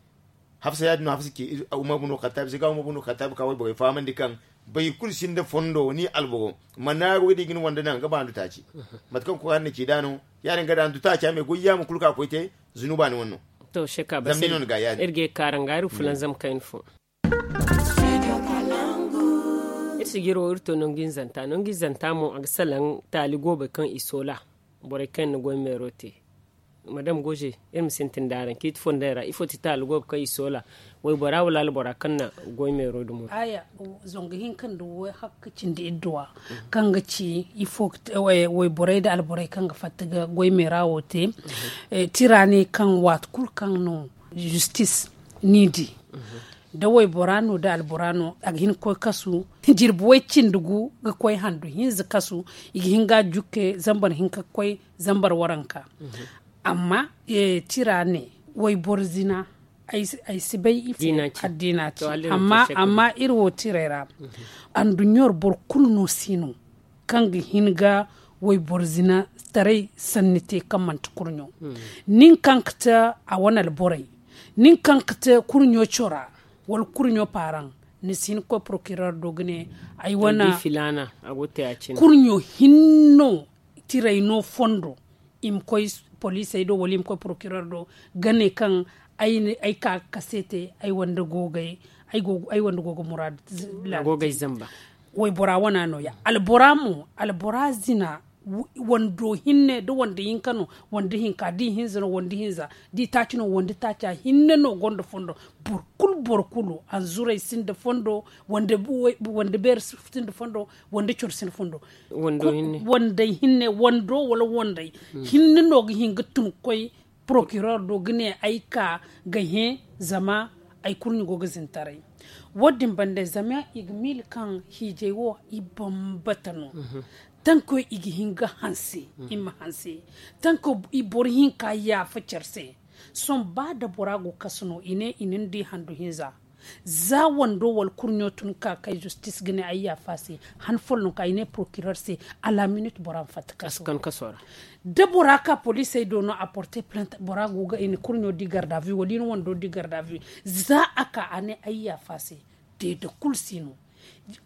Hafsa ya- din no hafsa ci umar bun alkhattabi se ga umar bun alkhattabi ka wayborey fahamandi kaŋ bay kulu sinda fondo ni alboro ma naaru ga di ga ni wande naŋ ga ba handu taaci. Mate kaŋ kuraana na ci nd'a no. Ya- din ga da handu taaci a me goy yaama kulu ka koy te. Zunuba ni wane no. To sheka ba se no ni ga ya- din iri ga ye kaara nga iri fulanzam kayna fo. Iri sijiro iri to nangu hinzanta nangu hinzanta mo a ga salaŋ taali goobey kaŋ i soola. Borey kaŋ yaŋ na goy meero te madam goje. Iri ma sintin da araŋ ciiti fondey ra ifo ti taali goobey kaŋ i soola? Waybora wala albora kaŋ na goy meero dumo? Aya, zongu hinka nda way hakka cindi idduwa kaŋ ga ci ifo ga te wayborey nda alborey kaŋ ga fatta ga goy meera wo te. Tira ne kaŋ waati kulu kaŋ no zistis ni di. Da waybora no da albora no a ga hin ga koy kasu. Jirbi way cindi gu ga koy handu hinza kasu. I ga hin ga a jukke zambar hinka ga koy zambar waranka. Amma tira ne wayboro zina ay si bay ifo addiina ci. Amma iri wo tirey ra anduɲɲo ra boro kulu no si no kaŋ ga hin ga wayboro zina taray sanni te kaŋ manti kurɲo. Nin kaŋ ga te a wane alborey, nin kaŋ ga te kurɲo cora wala kurɲo paaraŋ, ni si hin ga koy porokirer do ga ne ay wane kurɲo hinne no. Tirey no fondo i ma koy poliisey do wala i ma koy porokirer do ga ne kaŋ ay ka ga kase te ay wande go ga muraadu. Waybora wana no- ya albora mo albora zina wando hinne da wande hinka no wande hinka da i hinza no wande hinza da i taaci no wande taaca hinne no gonda fondo. Boro kulu boro kulu hanzuray sinda fondo wande beeri sinda fondo wande coro sinda fondo. Wande hinne wando wala wande hinne no ga hin ga tun ga koy porokirer do ga ne ay ka ga hẽ zama ay kurɲe go ga zintaray. Wo- din banda zama i ga miila kaŋ hiijay wo i bambata no. Tanko i ga hin ga hanse i ma hanse tanko i boro hinka yaafa care se. Sohõ ba da bora go kasu no i ne i na ni di handu hinza za wando wala kurɲo tun ka kay zistis ga ne ay yaafa se. Han folloŋ ka i ne porokirer se a la minit bora ma fatta kasu kaŋ kaso ra. Da bora ka poliisey do no a porte plante bora go ga i na kurɲo di gardavi wala i na wando di gardavi. Za a ka a ne ay yaafa se. Deede kulu si no.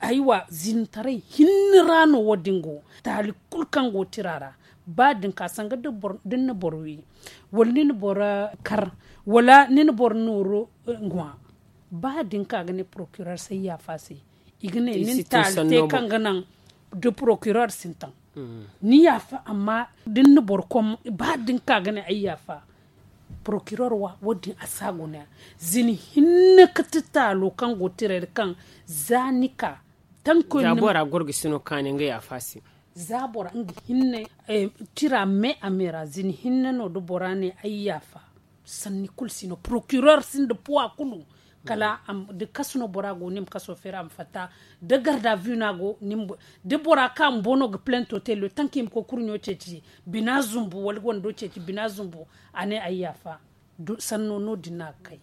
Aywa zintaray hinne ra no wo- din go taali kulu kaŋ go tira ra. Ba da ni ka sanga da ni na boro wi wala ni na boro kar wala ni na boro nooru ŋwa. Ba da ni ka ga ne porokirer se ay yaafa se i ga ne ni na taali te kaŋ ga naŋ da porokirer sintin. Ni yaafa amma da ni na boro kom ba da ni ka ga ne ay yaafa. Porokirer wa wo- din a si a guna zina hinne ga ti taalo kaŋ go tiray ra kaŋ za ni ka tankoy ni ma. Za bora gorgo si no kaani nga yaafa se. Za bora nga hinne tira me a me ra zina hinne no da bora ne ay yaafa. Sanni kulu si no procureur sinda puwa kulu. Kala da kasu no bora go ni ma kaso feeri a ma fatta. Da garda vi no a go ni ma da bora ka bumbo no ga plento te le tanki ma koy kurɲo ceeci bina zumbu wala wando ceeci bina zumbu. A ne ay yaafa. Sanno no- din no a ga kay.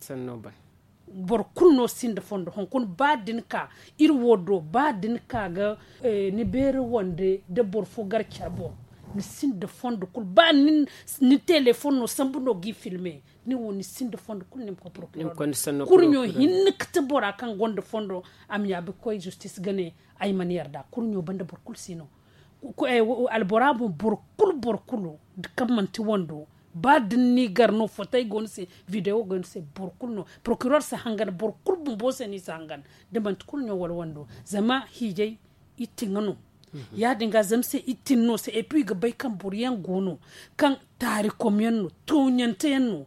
Boro kulu no sinda fondo hunkuna ba da ni ka iri wo do ba da ni ka ga ni beeri wande da boro fo gar care boŋ. Ni sinda fondo kulu ba ni teleefon no sambu no g'i filme. Ni wo ni sinda fondo kulu ni ma koy porokiror kurɲo hinne ga ti bora kaŋ gonda fondo. A ma yaabi ga koy zistis ga ne ay mana yarda kurɲo banda boro kulu si no. Albora boŋ boro kulu boro kulu kaŋ manti wando ba da ni gar no fotey go ni se videwo go ni se boro kulu no porokiror si hangan boro kulu bumbo se no i si hangan. Da manti kurɲo wala wando zama hiijay i tiŋa no. Ya- din ga zama se i tin no se et puis i ga bay kaŋ boro yaŋ go no kaŋ taarikom yaŋ no tooɲante yaŋ no.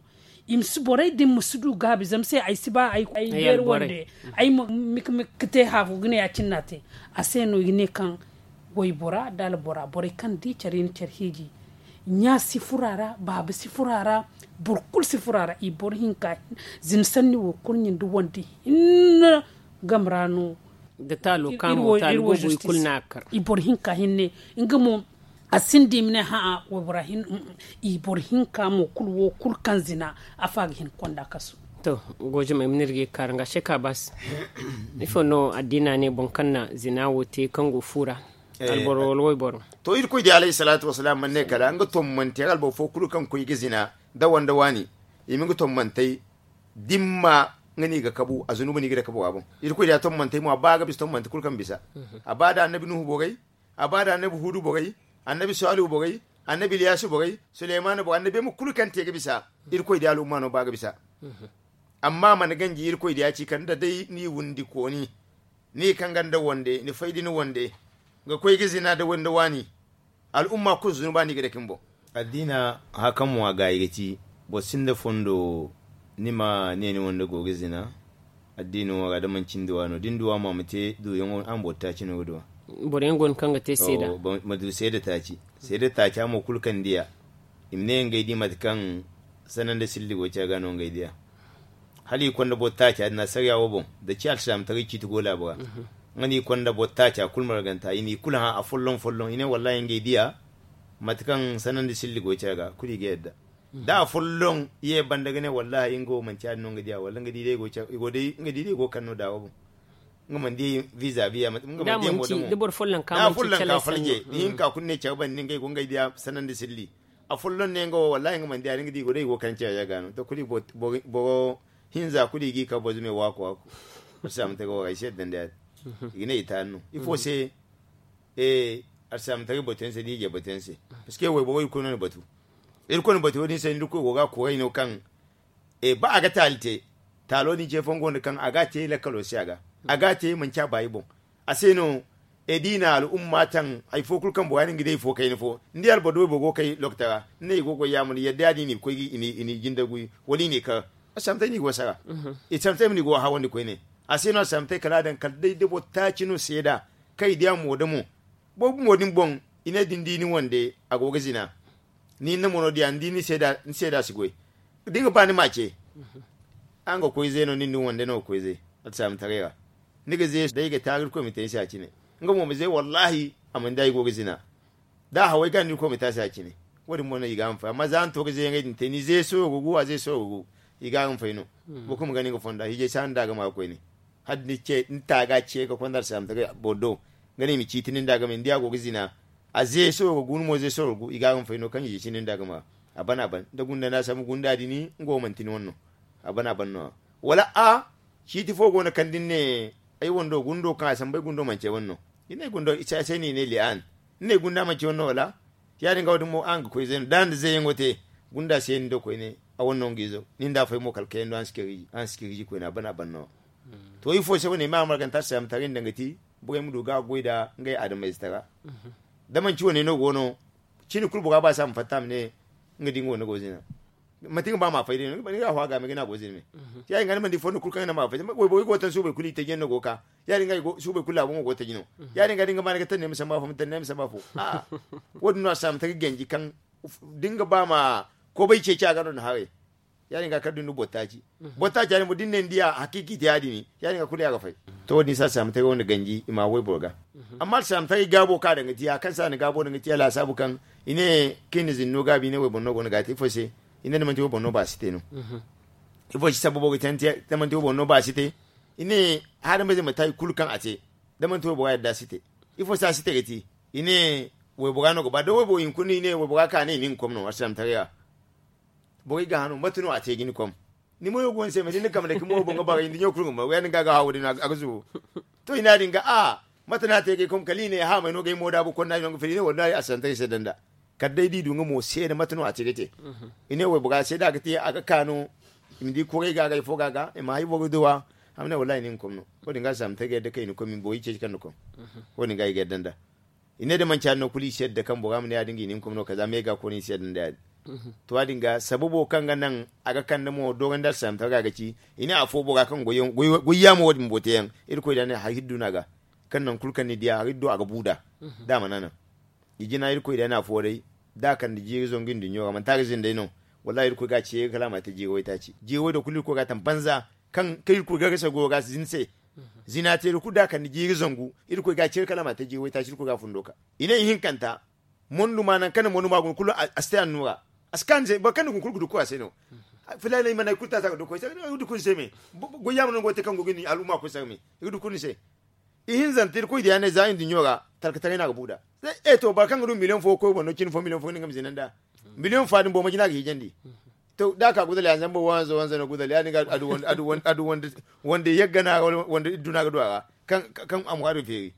I ma si borey din ma si du gaabi zama se ay si ba ay beeri wande ay ma miki miki ga te haafo ga ne ya- cine no a te. A se no i ga ne kaŋ waybora da albora borey kaŋ di care i na care hiiji. Ɲa si furo a ra baaba si furo a ra. Boro kulu si furo a ra i boro hinka zina sanni wo kurɲe nda wande hinne game ra no. Da taalo ka mo taalo boobo i kulu no a ga kar. I boro hinka hinne nga mo a sinda i ma ne hã'a waybora hinne. I boro hinka mo kulu wo kulu kaŋ zina afa ga hin ga konda kasu. To goojamey ma n'iri ga i ga kaara nga se ka baasi. Ifo no addiina ne boro kaŋ na zina wo te kaŋ go fu ra? Alboro wala wayboro. To irkoy di alayhi salaatu wasalaam mana ne kala nga tommante alboro fo kulu kaŋ koy ga zina da wande waani i ma nga tommantey dimma nga no i ga kabu a zunuba no i ga dake bora boŋ. Irkoy di a tommantey mo a ba ga bisa tommante kulu kaŋ bisa. A ba da annabi nuhu borey, a ba da annabi huudu borey, annabi saalihu borey, annabi iliyaasu borey, suleymaana borey annabi yaŋ mo kulu kaŋ te ga bisa. Irkoy di al'umma no ba ga bisa. Amma a mana ganji irkoy di a ci kala nda day ni windi kooni ni kaŋ ga nda wande ni fay da ni wande ga koy ga zina da wande waani. Al'umma kulu zunuba no i ga dake ni boŋ. Addiina haka mo a gaayi ga ci boro sinda fondo ni ma ne ni wande go ga zina. Addiino wo ra da manci ni duwa no da ni duwa mo a ma te duuyaŋo araŋ boro taaci no ga duwa. Boro yaŋ go no kaŋ ga te seeda. Ma du seeda taaci seeda taaca mo kulu kaŋ ni diya i ma ne ngey di mate kaŋ sanandi silli go care ga no ngey diya. Hala i konda boro taaca din asariya wo boŋ da ci alsilaamataray ciiti go laabo ra. Nga no i konda boro taaca kulu marganta i n'i kulu hã afolloŋ folloŋ i ne wallahi ngey diya mate kaŋ sanandi silli go care ga kulu i ga yadda. Da afolloŋ ye banda ga ne wallahi nga wo manci ya- din no nga diya wala nga di day i go kande no daawo boŋ. Nga mana di viza biya mate nga mana di mo da mo da afolloŋ ka falje ni hinka kulu ne care banda ngey go ngey diya sanandi silli. Afolloŋ ne nga wo wallahi nga mana di ya- din ga di i go day i go kande care ga no to kulu boro hinza kulu i g'i ka boro zume waaku waaku. Alsilaamataray wo ra i si yadda nda ya- din i ga ne i taani no ifo se? Alsilaamataray batu yaŋ se da i je batu yaŋ se. Parceque wayboro i kulu no na batu. Iri kulu na batu wo- din se ni da koy go ga a kuray no kaŋ ba a ga taali te taalo din ce fooyaŋ go no kaŋ a ga a te lakkalo se a ga a ga a te manci a baayi boŋ. A se no da i na al'umma taŋ hari fo kulu kaŋ bora din ga di hari fo kayna fo ni di alboro da wayboro go ga kay lokta ra ni ne i go ga goy yaamar yadda ya- din i na i ga koy i n'i jinde guy wala i n'i kar. Alsilaamataray no i go sara. Alsilaamataray ma no i go hawandi koyne. A se no alsilaamataray kala a daŋ kala day da boro taaci no seeda kaŋ i diya mo da mo. Boro bumo din boŋ i ne da ni di ni wande a go ga zina. Ni hinne mo no diya ni di ni seeda si goy. Da ni ga ba ni m'a ce. Araŋ ga koy ze no nin da ni wande no ga koy ze. Alsilaamataray ra ni ga ze day ga taaru irkoy ma te ni se a cine. Nga mo ma ze wallahi a mana di a i go ga zina. Da a haway ga no irkoy ma te a se a cine. Wo- din mo no i ga a ma fay amma za ni to ga ze yaŋey din te ni ze sooro ga gu a ze sooro ga gu. I ga a ma fay no. Boro kulu ma gana nga fonda hiijay si a nda a ga ma ga koyne. Hala da ni taaga ce ga konda alsilaamataray boro do. Nga ne i ma ciiti nin da a ga ma ni di a go ga zina. A ze sooro ga gu ni mo ze sooro ga gu i ga a ga ma fay no kaŋ i je cine nda a ga ma. A ban a ban da gunda no a sambu gunda din nga wo manti ni wane no. A ban a ban no- ya wala a ciiti fo go no kaŋ da ni ne ay wando gundo kaŋ a sambu ay gundo manci ay wane no. I ne gundo i se ay se no i ne li'an. Ni ne gunda manci ay wane no wala? Ya- din ga wo- din mo araŋ ga koy zey no da ni da zeyyaŋo te. Gunda se ni do koyne a wane no nga izo ni nda a fay mo kala kayando araŋ si kay ga ji koyne a ban a ban no. To ifo se wane ay ma a marganta alsilaamataray nda nga ti borey ma du ga a goy nda ngey adamayze tara. Da manci wane no go no cine kulu bora ba se a ma fatta a ma ne nga di nga wane go zina. Manti nga ba ma fay day no ni ga a hõ a ga me ga ne a go zina me. Ya- din ga ni mana di fondo kulu kaŋ ga ne ma fay day wayborey go ga taŋ suubey kulu i taji yaŋ no go ga ka. Ya- din ga suubey kulu laabo mo go ga taji no. Ya- din ga da ni ga ba ni ga taŋ ne ma samba afo ma taŋ ne ma samba afo. Wo- din no a si a ma taŋ ga ganji kaŋ da ni ga ba ma kobay ceeci a ga no ni haray. Ya- din ga kala da ni du boro taaci. Boro taaci ya- din mo da ni ne ni diya hakiiki te ya- din, ya- din ga kulu ya ga fay. To wo- din se alsilaamataray wo- din ganji i ma wayboro ga. Amma alsilaamataray gaabo kaŋ a daŋ ga ti ya kaŋ se a na gaabo daŋ ga ti ya laasaabu kaŋ i ne kaŋ i na zinno gaabi i ne wayboro no go no ga a te ifo se? I ne da manti wayboro no ba a si te no. Ifo se sababo ga te da manti wayboro no ba a si te? I ne haadamay zey ma te hari kulu kaŋ a te da manti waybora yadda a si te. Ifo se a si te ga ti? I ne waybora no ga ba da wayboro hinkuna i ne waybora ka ne i ma hin ga kom no alsilaamataray ra. Borey ga hano mate no a te ga ni kom? Ni mo yo go ni se mate ni kambe da ka mo boŋ ga bagay ni ɲo kulu ga ma ya- din ga ga hawo din a ga zubu. To i ne ya- din ga a mate no a te ga ay kom kala i ne haamay no ga ay mo daabu konda i no ga fila i ne wallahi alsilaamataray se danda. Kala day da i du nga mo seeda mate no a te ga te. I ne waybora se da a ga te a ga ka no. I ma di kuray ga ga ifo ga ga i ma hari boro duwa. Hamne wallahi ni nga kom no. Wo- din ga alsilaamataray ga yadda kaŋ i na kom i ma borey ceeci kaŋ na kom. Wo- din ga i ga yadda nda i ne da manci hari no kulu i si yadda kaŋ bora ma ne ya- din ga i na hin kom no kala za me ga koona i si yadda nda ya- din. To ya- din ga sababo kaŋ ga naŋ a ga kande mo doorandi alsilaamataray ga ga ci. I ne afo bora kaŋ goy yaamo wo- din bumbo te yaŋ irkoy da a ne hari hiddu no a ga. Kaŋ naŋ kulu kaŋ ni diya hari hiddu a ga bu nd'a. Da a mana naŋ i jina irkoy da a ne afo day da a kande jiiri zangu i nduɲɲo ra manti a ga zina day no. Wallahi irkoy ga a ceeri kala a ma te jiiri waytaaci jiiri way da kulu irkoy ga a taŋ banza. Kaŋ irkoy ga gasa goyo ga zina se. Zina te da kulu da a kande jiiri zangu irkoy ga a ceeri kala a ma te jiiri waytaaci irkoy ga a fundo ka i ne ihinkanta. Mondu ma nangu kaŋ na mondu ma guna kulu a si te annuura. A si kaanu se boro kaŋ na guna kulu ga du koy a se no. Filaanay mana hari kulu taata ga du koy se ga du kulu ni se me. Goy yaama no go ga te kaŋ go ga ni al'umma koy se ga me i ga du kulu ni se. Ihinzanta irkoy diya ne za i nduɲɲo ra talkataray no a ga bu nd'a. E to boro kaŋ ga du miliyoŋ fo ga koy boro no cine fo miliyoŋ fo ga ne nga ma zina nd'a. Miliyoŋ fa din boro ma jina ga hiijandi. To da a ka gudal ya zamba wanza wanza no gudal ya- din ga a du wanda yagga no a ra wanda idduna ga du a ra. Kaŋ a ma ga a du feeri.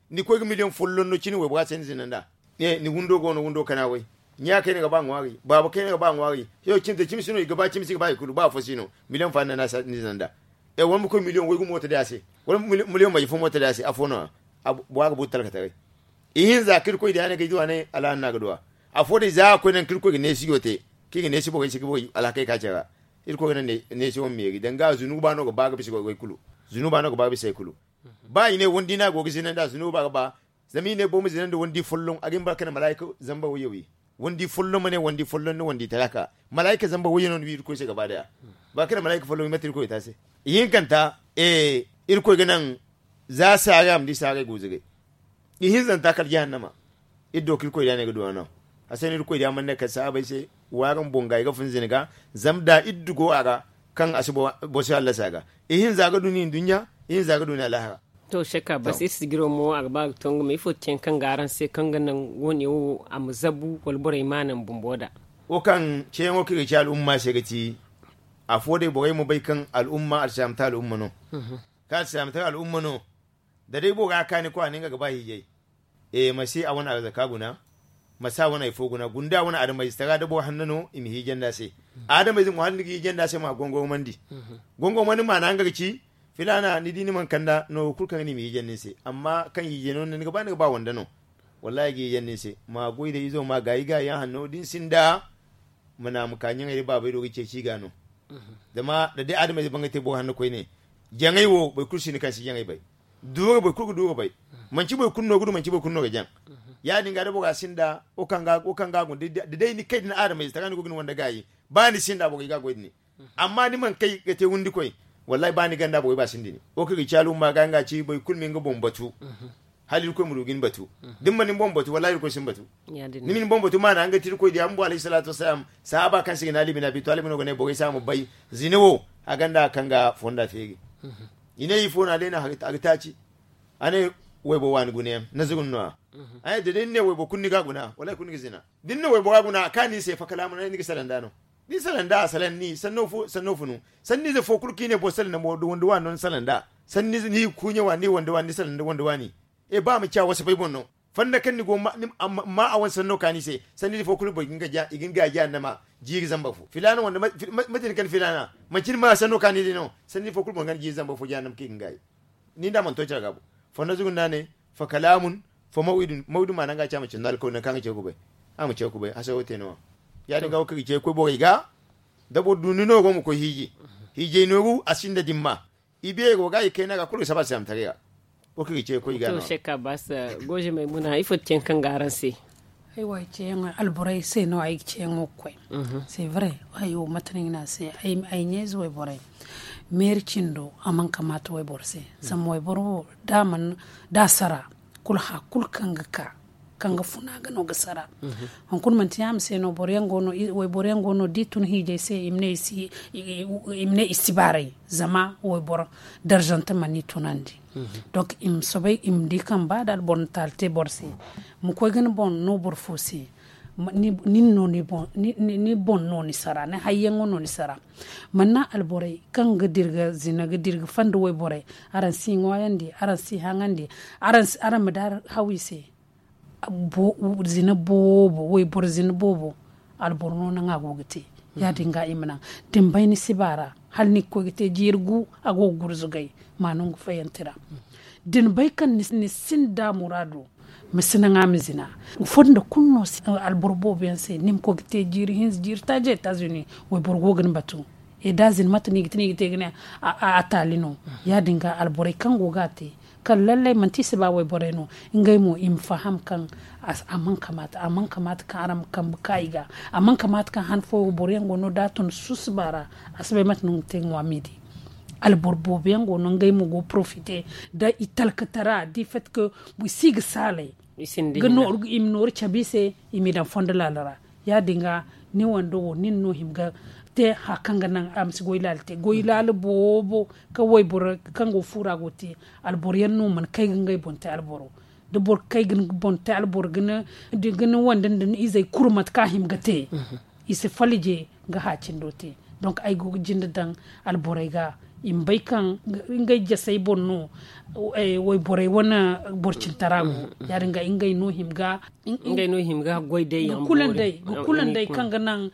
Ni koy ga miliyoŋ folloŋ no cine waybora se ni zina nd'a. Ni windo go no windo kana way. Ɲa kayna ga ba ŋwaari baaba kayna ga ba ŋwaari. Cimsi no i ga ba cimsi ga ba i kulu ba afo si no. Miliyoŋ fa no a na ni zina nd'a. Wala ma koy miliyoŋ way ga mooto day a se. Wala miliyoŋ maje fo mooto day a se afo no. Bora ga bu talkataray. Ihinza kaŋ irkoy diya ne ga ay duwa ne alhaana no a ga duwa. Afo day za a koy naŋ kaŋ irkoy ga neesiyo te kaŋ i ga neesi borey se ga borey alhakey ka care ra. Irkoy ga naŋ neesi wane meeri danga zunuba no ga ba ga bisa goy kulu. Zunuba no ga ba ga bisa hari kulu. Ba i ne wandi no a go ga zina nd'a zunuba ga ba. Zama i ne boro ma zina nda wandi folloŋ a ga hin ba kala malaayika zamba wayye wi. Wandi folloŋ ma ne wandi folloŋ nda wandi talaka malaayika zamba wayye no ni wi irkoy se gaba daya. Ba kala malaayika folloŋ wi mate irkoy ga te a se. Ihinkanta irkoy ga naŋ za saaray a ma di saaray guuzuray. Ihinzanta kala jahannama. Iri do kaŋ irkoy diya no ay ga du a no. A se no irkoy diya mana ne kala sahaabey se. Wa araŋ boŋ ga ay ga fun zina ga. Zama da iri du go a ra kaŋ a si boro si hallasa a ga. Ihinza ga du ni nduɲɲa. Ihinza ga du ni alahara. To shakka bas iri sijiro mo a ga ba ga tongu ma ifo te yaŋ kaŋ ga araŋ se kaŋ ga naŋ wo- ne wo a ma zabu wala borey ma naŋ bumbo da. Wo kaŋ ceyaŋo kaŋ i ga ci al'umma se ga ti. Afo day borey ma bay kaŋ al'umma alsilaamata al'umma no. Kaŋ alsilaamata al'umma no. Da day bora kaani kwa ne nga ga ba hiijay. E masi a wane arzaka guna. Masi a wane hari fo guna gunda wane adamayze tara da boro hanno no i ma hiijandi a se. Adamayze mo hala ni ga hiijandi a se ma gongormandi. Gongormandi maana nga ga ci filaana ni di ni mana kanda no wo kulu kaŋ ga ne i ma hiijandi ni se amma kaŋ hiijay no ni ga ba ni ga ba wanda no. Wallahi ay ga hiijandi ni se ma goy da izo ma gaayi gaayi yaŋ hanno da ni sinda. Ma na ma ka ɲaŋey da baabey do ga ceeci i ga no. Zama da day adamayze bangay te boro hanno koyne. Jaŋay wo boro kulu sinda kaŋ si jaŋay bay. Duura boro kulu ga duura bay. Manci boro kulu no ga du manci boro kulu no ga jaŋ. Ya- din ga da bora sinda wo kaŋ ga a guna da day ni kay da ni adamayze tara ni go ga ni wanda gaayi. Ba ni sinda borey ga a goy da ni. Amma ni mana kay ga te wundikoy. Wallahi ba ni ganda borey ba sinda ni wo kaŋ ga ci al'umma ga nga ci boro kulu ma nga boŋ batu. Hala irkoy ma du ga ni batu. Da ni mana ni boŋ batu wallahi irkoy si ni batu. Ni ma ni boŋ batu maana nga ti irkoy diya bumbo alayhi salaatu wasalaam. Sahaaba kaŋ se ga ne ali bin abi talibi no ga ne borey se a ma bay. Zina wo a ganda kaŋ ga fonda feeri. I ne ifo no a day no a ga taaci. A ne waybo waani guna yaŋ na zugun no- ya. A ne da day ni ne waybo kulu ni ga a guna wallahi kulu ni ga zina. Da ni ne waybo ga a guna a kaani ni se fakalaamu no ni ga salaŋ nd'a no. Da ni salaŋ nd'a a salaŋ ni sanno funu. Sanniize fo kulu kaŋ i ne boro salaŋ nd'a mo da wanda waani no ni salaŋ nd'a. Sanniize ni ga kuuɲe waani ni wanda waani ni salaŋ nda wanda waani. E ba a ma ci a wasabay boŋ no. Fanda kaŋ ni go ma a wane sanno kaani se. Sanniize fo kulu boro i ga ni gaayi jahannama. Jiiri zamba fo filaana wanda mate ni kani filaana manci ni ma sanno kaani day no. Sanniize fo kulu boro ga ni jiiri zamba fo jahannama kaŋ i ga ni gaayi. Ni nda a mana to care ga bo. Fanda zugu nda a ne. Fa kalaamun. Fa maw'idun maw'idun maana nga ci a ma cindi alkawli nangu kaŋ a ga ce ga kubay. A ma ce ga kubay hasaro te no- ya. Ya- din ga wo kaŋ ga ce ga koy borey ga. Da boro du ni nooru ma koy hiiji. Hiijay nooru a sinda dimma. I beero ga i kayna ga kulu ga saba alsilaamataray ra. Wo kaŋ ga ce ga koy ga no- ya. Shek abbas. Gooje maymuna ifo te yaŋ kaŋ ga araŋ se? Ay wo ay ceeyaŋo alborey se no ay ga ceeyaŋo ga koy. C'est vrai. Ay wo mate no ay ga ne a se, ay ɲeeze wayborey, meeri cindo a mana kamaata wayboro se. Zama wayboro wo da a mana da a sara, kulu hã kulu kaŋ ga ka, kaŋ ga funa ga no ga sara. Hunkuna manti yaama se no boro yaŋ go no wayboro yaŋ go no da i tun hiijay se i ma ne i si baaray. Zama wayboro darzante mana i tunandi. Donk i ma soobay i ma di kaŋ ba da alboro na taali te boro se, ma koy ga ni boŋ no boro fo se. Ni boŋ no ni sara ni hayyaŋo no ni sara. Mana alborey kaŋ ga dirga zina ga dirga fanda wayborey, araŋ si ŋwaayandi, araŋ si haŋandi, araŋ ma daari haw i se. Zina boobo wayboro zina boobo, alboro no naŋ a go ga te. Ya-din ga i ma naŋ da ni bay ni si baara, hala ni ga koy ga te jiiri gu a go ga gurzugay. Ma no nga fayantira da ni bay kaŋ ni sinda muraado, ma si naŋ a ma zina. Fondo kulu no alboro boobo yaŋ se ni ma koy ga te jiiri hinza jiiri taaji etazuni, wayboro go ga ni batu. E da zina mate no i ga te no i ga te ga ne a taali no. Ya-din ga alborey kaŋ go ga a te, kala lallai manti i si ba wayborey no. Ngey mo i ma faham kaŋ a mana kamaata a mana kamaata kaŋ araŋ ma kambe ka i ga. A mana kamaata kaŋ han fooyaŋ boro yaŋ go no da a tun susuba ra, a si bay mate no nga te ŋwa midi. Alboro boobo yaŋ go no ngey mo go ga porofite da i talkatara da i fati ka i si ga saalay i ma nooru cabe i se. I m'i daŋ fondo laala ra. Ya-din ga ni wando wo nin no hima ga te haya kaŋ ga naŋ a ma si goy laala te goy laala boobo. Kaŋ wayboro kaŋ go fuura go te alboro yaŋ no mana kay ga ngey boŋ te alboro. Da boro kay ga ni boŋ te alboro ga ni wande nda ni izey kulu mate kaŋ a hima ga te. I si falije ga haacindo te. Donk ay go ga jinde daŋ alborey ga i ma bay kaŋ ngey jasey boŋ no. Wayborey wane borcintara go. Ya-din ga ngey no hima ga ngey no hima ga goy day yaŋ ga kula ndey kaŋ ga naŋ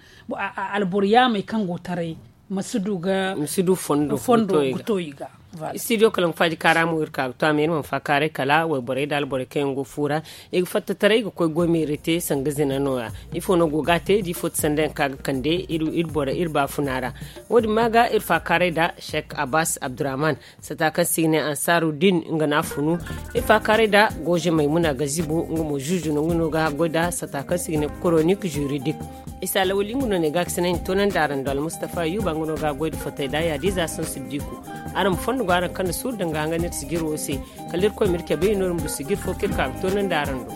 alboro yaamey kaŋ go taray ma si du ga fondo ga to i ga. Studio kalaŋ faaji kaara mo iri ka ga to a ma iri mana faakaaray kala wayborey da alborey kaŋ yaŋ go fuura. I ga fatta taray ga koy goy meeri te sanga zina nooya. Ifo no go ga a te da ifo ti sanda yaŋ kaŋ a ga kande iri baafuna ra. Wo-din ma ga iri faakaaray da sheik abbas abdurrahman sata kaŋ se i ga ne ansaaru din nga no a funu. Iri faakaaray da gooze maymuna gazibo nga mo zuuzu no nga no ga haggoy da sata kaŋ se i ga ne koronik juridik. Isa lawali nga no ne ga a ga sina i na toonandi araŋ do almustafa yuba nga no ga haggoy da fotay da yaadiiza sansu diku. Araŋ ma fondo go araŋ kaŋ na suuru daŋ ga hangan iri sijir wo se. Kala iri koy ma iri cabe i no iri ma du sijir fo kaŋ iri ka ga toonandi araŋ do.